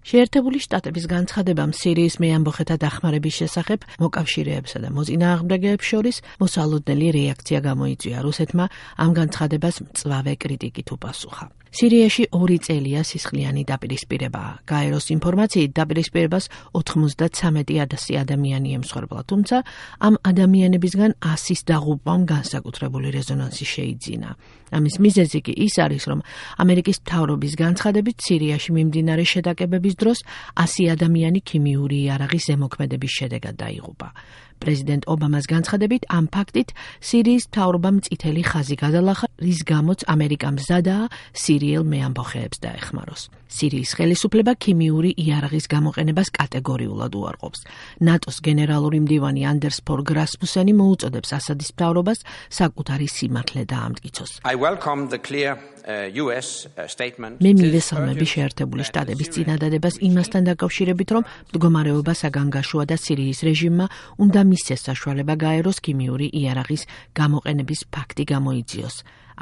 შეერთებული შტატების განცხადებამ სირიის მეამბოხეთა დახმარების შესახებ მოკავშირეებსა და მოწინააღმდეგეებს შორის მოსალოდნელი რეაქცია გამოიწვია. რუსეთმა ამ განცხადებას მწვავე კრიტიკით უპასუხა. სირიაში 2 წელია სისხლიანი დაპირისპირებაა. გაეროს ინფორმაციით დაპირისპირებას 93,000 ადამიანი ემსხვერპლა, თუმცა ამ ადამიანებისგან 100-ის დაღუპვამ განსაკუთრებული რეზონანსი შეიძინა. ამის მიზეზი კი ის არის, რომ ამერიკის მთავრობის განცხადებით სირიაში მიმდინარე შეტაკებების დროს 100 ადამიანი ქიმიური იარაღის ზემოქმედების შედეგად დაიღუპა. პრეზიდენტ ობამას განცხადებით ამ ფაქტით სირიის მთავრობამ წითელი ხაზი გადალახა, რის გამოც ამერიკა მზადაა სირიელ მეამბოხეებს დაეხმაროს. სირიის ხელისუფლება ქიმიური იარაღის გამოყენებას კატეგორიულად უარყოფს. ნატოს გენერალური მდივანი anders Fogh Rasmussen მოუწოდებს ასადის მთავრობას საკუთარი სიმართლე დაამტკიცოს. მე მივესალმები შეერთებული შტატების წინადადებას იმასთან დაკავშირებით, რომ მდგომარეობა საგანგაშოა და სირიის რეჟიმმა უნდა მისცეს საშუალება გაეროს ქიმიური იარაღის გამოყენების ფაქტი გამოიძიოს,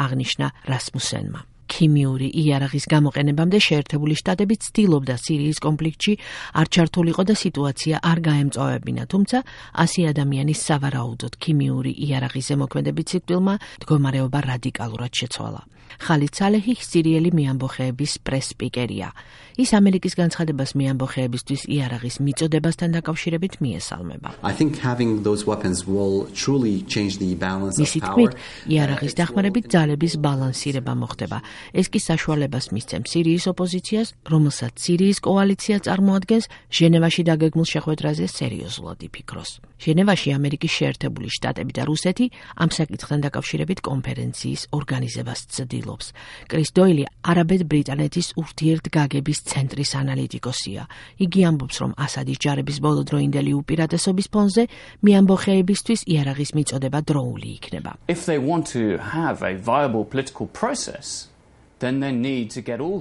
აღნიშნა რასმუსენმა. ქიმიური იარაღის გამოყენებამდე შეერთებული შტატები ცდილობდა სირიის კონფლიქტში არ ჩართულიყო და სიტუაცია არ გაემწვავებინა, თუმცა 100 ადამიანის სავარაუდოდ ქიმიური იარაღის ზემოქმედებით სიკვდილმა მდგომარეობა რადიკალურად შეცვალა. ხალიდ სალეჰი სირიელი მეამბოხეების პრეს-სპიკერია. ის ამერიკის განცხადებას მეამბოხეებისთვის იარაღის მიწოდებასთან დაკავშირებით მიესალმება. მისი თქმით, იარაღის დახმარებით ძალების ბალანსირება მოხდება. ეს კი საშუალებას მისცემს სირიის ოპოზიციას, რომელსაც სირიის კოალიცია წარმოადგენს, ჟენევაში დაგეგმილ შეხვედრაზე სერიოზულად იფიქროს. ჟენევაში ამერიკის შეერთებული შტატები და რუსეთი ამ საკითხთან დაკავშირებით კონფერენციის ორგანიზებას ცდილობს. კრის დოილი არაბეთ-ბრიტანეთის ურთიერთგაგების ცენტრის ანალიტიკოსია. იგი ამბობს, რომ ასადის ჯარების ბოლოდროინდელი უპირატესობის ფონზე მეამბოხეებისთვის იარაღის მიწოდება დროული იქნება.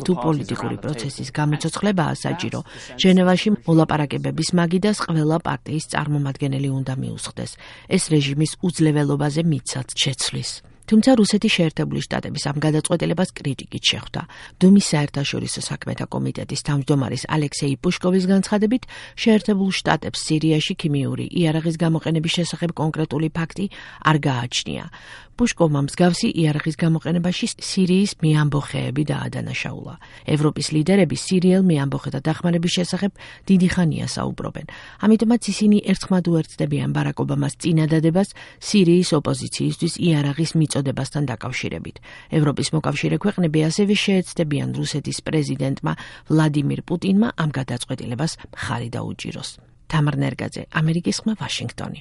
თუ პოლიტიკური პროცესის გამოცოცხლებაა საჭირო, ჟენევაში მოლაპარაკებების მაგიდას ყველა პარტიის წარმომადგენელი უნდა მიუსხდეს. ეს რეჟიმის უძლეველობაზე მიცაც შეცვლის. თუმცა რუსეთი შეერთებული შტატების ამ გადაწყვეტილებას კრიტიკით შეხვდა. დუმის საერთაშორისო საქმეთა კომიტეტის თავმჯდომარის ალექსეი პუშკოვის განცხადებით, შეერთებულ შტატებს სირიაში ქიმიური იარაღის გამოყენების შესახებ კონკრეტული ფაქტი არ გააჩნია. პუშკოვმა მსგავსი იარაღის გამოყენებაში სირიის მეამბოხეები დაადანაშაულა. ევროპის ლიდერები სირიელ მეამბოხეთა დახმარების შესახებ დიდი ხანია საუბრობენ. ამიტომაც ისინი ერთხმად უერთდებიან ბარაკ ობამას წინადადებას სირიის ოპოზიციისთვის იარაღის მიწოდებასთან დაკავშირებით. ევროპის მოკავშირე ქვეყნები ასევე შეეცდებიან რუსეთის პრეზიდენტმა ვლადიმირ პუტინმა ამ გადაწყვეტილებას მხარი დაუჭიროს. თამარ ნერგაძე, ამერიკის ხმა, ვაშინგტონი.